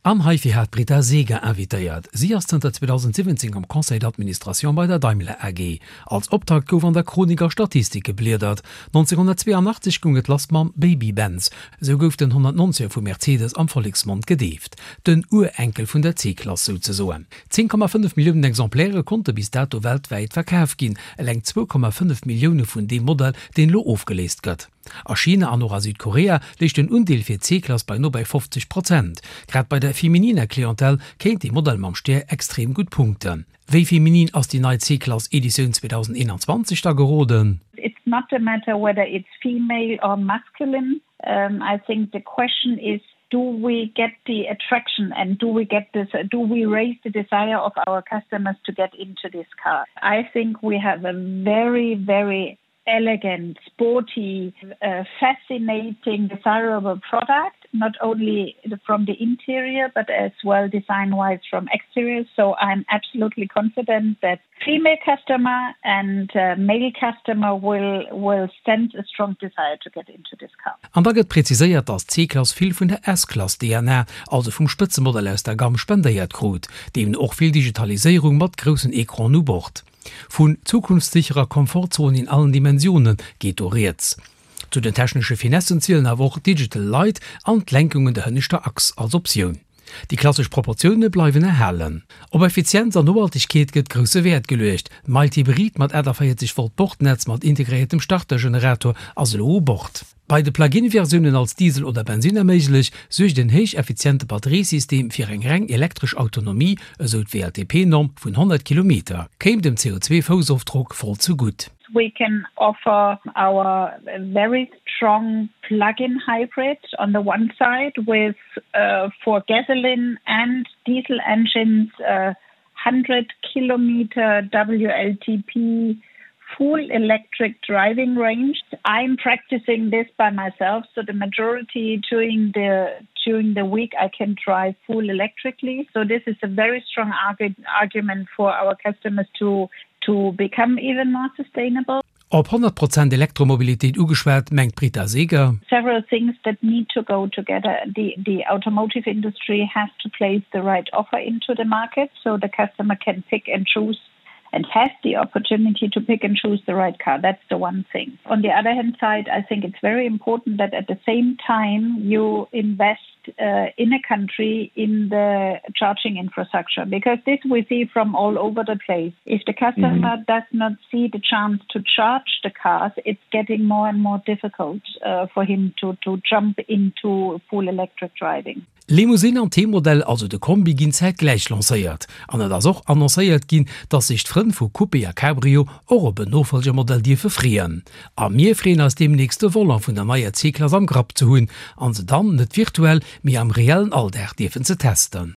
An heifir hat d'Britta Seeger invitéiert. Si ass zënter 2017 am Conseil d'administration bei der Daimler AG. Als Optakt gouf an der Chronik a Statistik gebliedert. 1982 goung et lass mam Baby Benz, esou gouf den 190er vu Mercedes am Volleksmond gedeeft. Den Urenkel vun der C-Klass souzesoen. 10,5 Milliounen Exemplaire konnte bis dato weltwäit verkaf ginn, eleng 2,5 Millioune vun deem Modell, deen elo ofgeléist gëtt. A China an och a Südkorea léich den Undeel fir d'C-Klass bei no bei 50 Prozent. Grad bei der femininer Clientèle kéint dee Modell mam Stär extrem gutt punkten. Wéi feminin ass déi nei C-Klass Editioun 2021 da geroden? It's not a matter whether it's female or masculine, I think the question is do we get the attraction and do we get this do we raise the desire of our customers to get into this car? I think we have a very very elegant, sporty, uh, fascinating, desirable product, not only from the interior, but as well design-wise from exterior. So I'm absolutely confident that female customer and uh, male customer will, will sense a strong desire to get into this car. An da gëtt präziséiert, dass d'C-Klass vill vun der S-Klass DNA, also vum Spëtzemodell aus der Gamm spendéiert krut, deemno och vill Digitaliséierung mat groussen Ecranen u Bord. Vun zukunftssicherer Komfortzon in allen Dimensionen geet do rieds. Zu den technesche Finessen zielen awer och Digital Light an d'Lenkung un der hënneschter Achs als Optioun. Déi klassesch Proportioune bleiwen erhalen. Op Effizienz an Nohaltegkeet gëtt grousse Wäert geluecht. Mild Hybrid mat 48 Volt Bordnetz mat integréiertem Startergenerator ass elo u Bord. Bei de Plug-in-Versiounen als Diesel oder Bensinner méiglech, suergt en héich effiziente Batteriesystem fir eng reng elektresch Autonomie, esou d'WLTP-Norm vun 100 Kilometer, kéim dem CO2-Foussofdrock voll zu gutt. We can offer our very strong plug-in hybrid on the one side with for gasoline and diesel engines 100 kilometer WLTP full electric driving range. I'm practicing this by myself, so the majority during the during the week I can drive full electrically. So this is a very strong argu argument for our customers to to become even more sustainable. Op 100 Prozent Elektromobilitéit ugeschwat, mengt d'Britta Seeger. Several things that need to go together. The the automotive industry has to place the right offer into the market so the customer can pick and choose and has the opportunity to pick and choose the right car. That's the one thing. On the other hand side, I think it's very important that at the same time you invest uh, in a country in the charging infrastructure because this we see from all over the place. If the customer mm -hmm. does not see the chance to charge the cars, it's getting more and more difficult uh, for him to, to jump into full electric driving. Limousine an T-Modell, also de Kombi, ginn zäitgläich lancéiert. An et ass och annoncéiert ginn, dass sech d'Frënn vu Coupé a Cabrio och op en Nofolgermodell dierfe freeën. A mir freeën eis deemnächst de Volant vun der neier C-Klass am Grapp ze hunn an se dann net virtuell, mee am reellen Alldag dierfen ze testen.